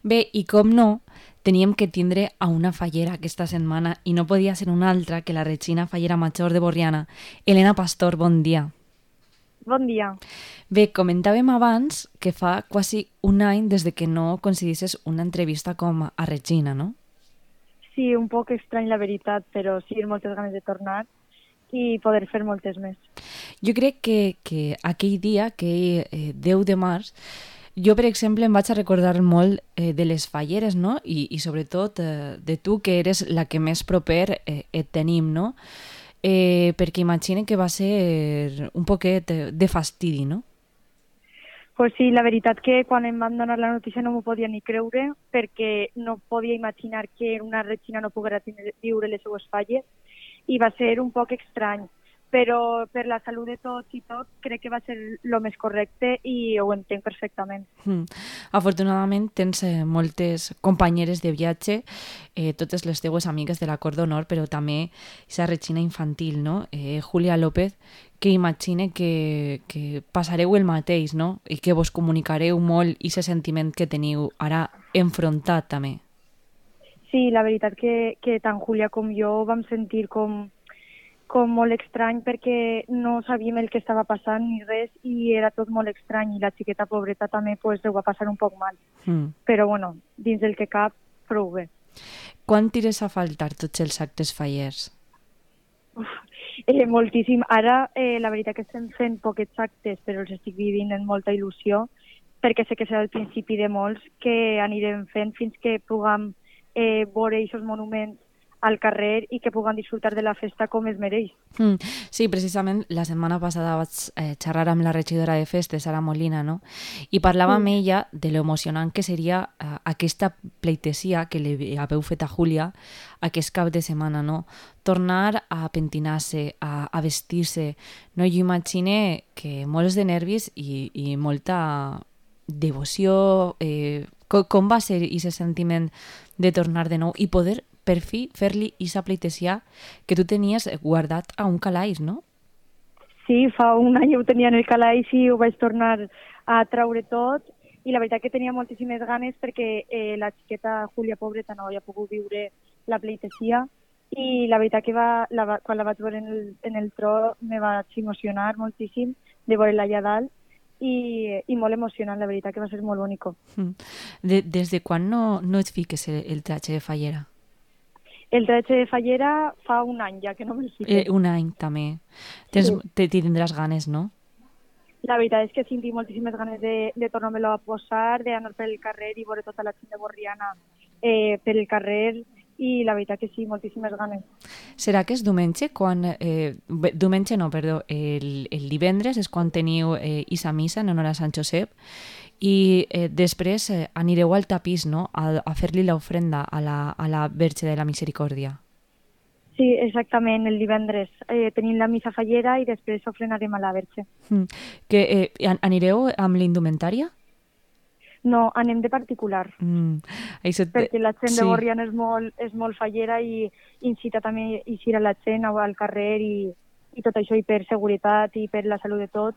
Bé, i com no, teníem que tindre a una fallera aquesta setmana i no podia ser una altra que la Regina Fallera Major de Borriana. Elena Pastor, bon dia. Bon dia. Bé, comentàvem abans que fa quasi un any des de que no concedisses una entrevista com a Regina, no? Sí, un poc estrany la veritat, però sí, moltes ganes de tornar i poder fer moltes més. Jo crec que aquell dia, aquell 10 de març, jo, per exemple, em vaig a recordar molt de les falleres, no? I sobretot de tu, que eres la que més proper et tenim, no? Perquè imagine que va ser un poquet de fastidi, no? Pues sí, la veritat que quan em van donar la notícia no m'ho podia ni creure perquè no podia imaginar que una Regina no poguera viure les seues falles i va ser un poc estrany, però per la salut de tots i tot crec que va ser el més correcte i ho entenc perfectament. Afortunadament tens moltes companyeres de viatge, totes les teues amigues de la Cor d'Honor, però també aquesta Regina infantil, no? Julia López, que imagine que passareu el mateix, no? I que vos comunicareu molt aquest sentiment que teniu ara enfrontat també. Sí, la veritat que tant Júlia com jo vam sentir com molt estrany perquè no sabíem el que estava passant ni res i era tot molt estrany i la xiqueta pobreta també pues, ho va passar un poc mal. Però bueno, dins del que cap, prou bé. Quan tires a faltar tots els actes fallers? Moltíssim. Ara la veritat que estem fent poquets actes però els estic vivint amb molta il·lusió perquè sé que serà el principi de molts que anirem fent fins que puguem veure aquests monuments al carrer i que puguen disfrutar de la festa com es mereix. Sí, precisament la setmana passada vaig xerrar amb la regidora de festes, Sara Molina, no? I parlava amb ella de lo emocionant que seria aquesta pleitesia que li haveu fet a Júlia aquest cap de setmana, no? Tornar a pentinar-se, a vestir-se, no? Jo imagine que molts de nervis i molta devoció. Com va ser aquest sentiment de tornar de nou i poder per fi fer-li aquesta pleitesia que tu tenies guardat a un calaix, no? Sí, fa un any ho tenia en el calaix i ho vaig tornar a traure tot i la veritat que tenia moltíssimes ganes perquè la xiqueta Júlia pobreta no havia pogut viure la pleitesia i la veritat que quan la vaig veure en el tro me vaig emocionar moltíssim de veure-la allà dalt i molt emocionant, la veritat que va ser molt bonic. Des de quan no et fiques el tratge de fallera? El tratge de fallera fa un any ja que no me'l fique. Un any també. Tindràs ganes, no? La veritat és que tinc moltíssimes ganes de tornar-me-lo a posar, d'anar per el carrer i veure tota la gent de Borriana per el carrer i la veritat que sí, moltíssimes ganes. Serà que és diumenge quan... diumenge no, perdó. El divendres és quan teniu Isa Missa en honor a Sant Josep i després anireu al tapís, no?, a fer-li l'ofrenda a la Verge de la Misericòrdia. Sí, exactament, el divendres tenim la missa fallera i després ofrenarem a la Verge. Anireu amb l'indumentària? No, anem de particular, perquè la gent de Borriana és molt fallera i incita també a eixir a la gent al carrer i tot això, i per seguretat i per la salut de tots,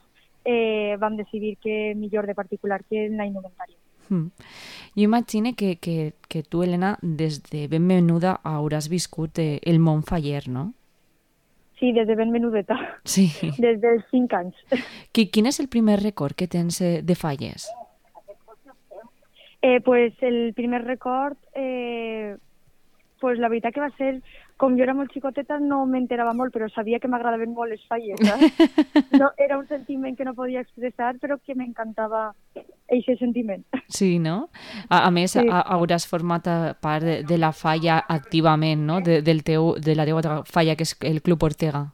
vam decidir que millor de particular que en la indumentària. Jo imagine que tu, Elena, des de ben menuda hauràs viscut el món faller, no? Sí, des de ben menudeta. Sí. Des dels 5 anys. Quin és el primer record que tens de falles? Pues el primer record, pues la veritat que va ser, com jo era molt xicoteta no m'enterava molt, però sabia que m'agradaven molt les falles, no, era un sentiment que no podia expressar, però que m'encantava aquest sentiment. Sí, no? A més, sí. Hauràs format part de la falla activament, no? De la teva falla, que és el Club Ortega.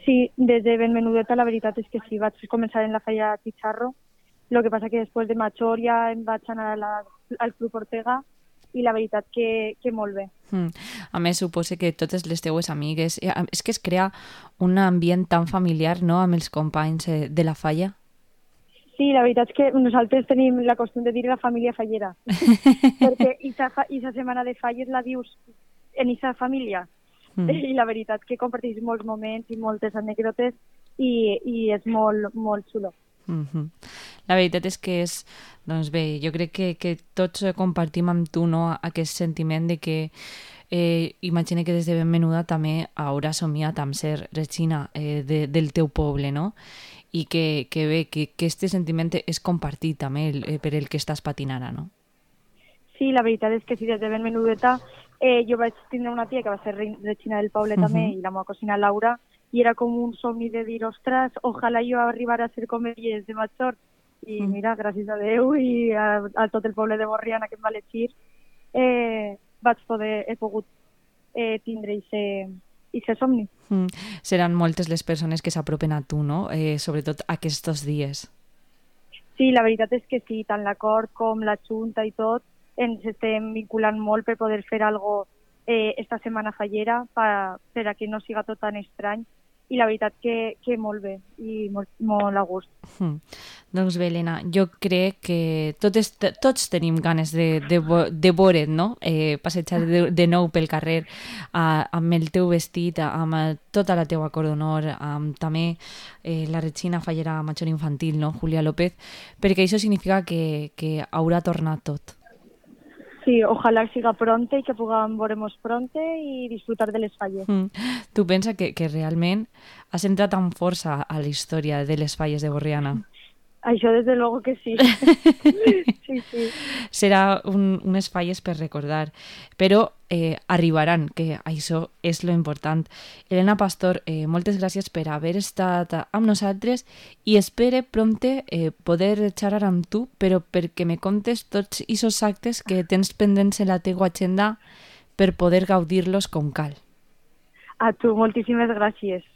Sí, des de ben menudeta la veritat és que sí, vaig començar en la falla Chicharro. Lo que passa que després de major ja em vaig anar al Club Ortega i la veritat que molt bé. A més, suposo que totes les teues amigues... És que es crea un ambient tan familiar, no?, amb els companys de la falla. Sí, la veritat és que nosaltres tenim la costum de dir la família fallera. Perquè aquesta setmana de falles la dius en aquesta família. I la veritat que comparteix molts moments i moltes anècdotes i és molt, molt xulo. La veritat és que és, doncs bé, jo crec que tots compartim amb tu, no, aquest sentiment de que imagina que des de ben menuda també hauràs somiat amb ser Regina del teu poble, no? I que bé, que aquest sentiment és compartit també per el que estàs patint ara, no? Sí, la veritat és que sí, des de ben menudeta jo vaig tindre una tia que va ser Regina del poble també, i la meva cosina Laura, i era com un somni de dir, ostres, ojalà jo arribara a ser com elles de major. I mira, gràcies a Déu i a tot el poble de Borriana que em va elegir, he pogut tindre aquest somni. Seran moltes les persones que s'apropen a tu, no? Sobretot aquests dies. Sí, la veritat és que sí, tant l'acord com la Junta i tot, ens estem vinculant molt per poder fer alguna cosa esta setmana fallera per a que no siga tot tan estrany, i la veritat que molt bé i molt a gust. Doncs bé, Helena, jo crec que tots tenim ganes de veure't, no? Passejar de nou pel carrer amb el teu vestit, amb tota la teua cor d'honor, amb també la Regina Fallera major infantil, no? Julia López, perquè això significa que haurà tornat tot. Sí, ojalà siga pronte i que puguem veure'ns pronte i disfrutar de les falles. Tu pensa que realment has entrat amb força a la història de les falles de Borriana? Això, des de luego que sí. Sí. Serà unes falles per recordar, però arribaran, que això és lo important. Helena Pastor, moltes gràcies per haver estat amb nosaltres i espere prompte poder xerrar amb tu, però perquè me contes tots aquests actes que tens pendents en la teua agenda per poder gaudir-los com cal. A tu, moltíssimes gràcies.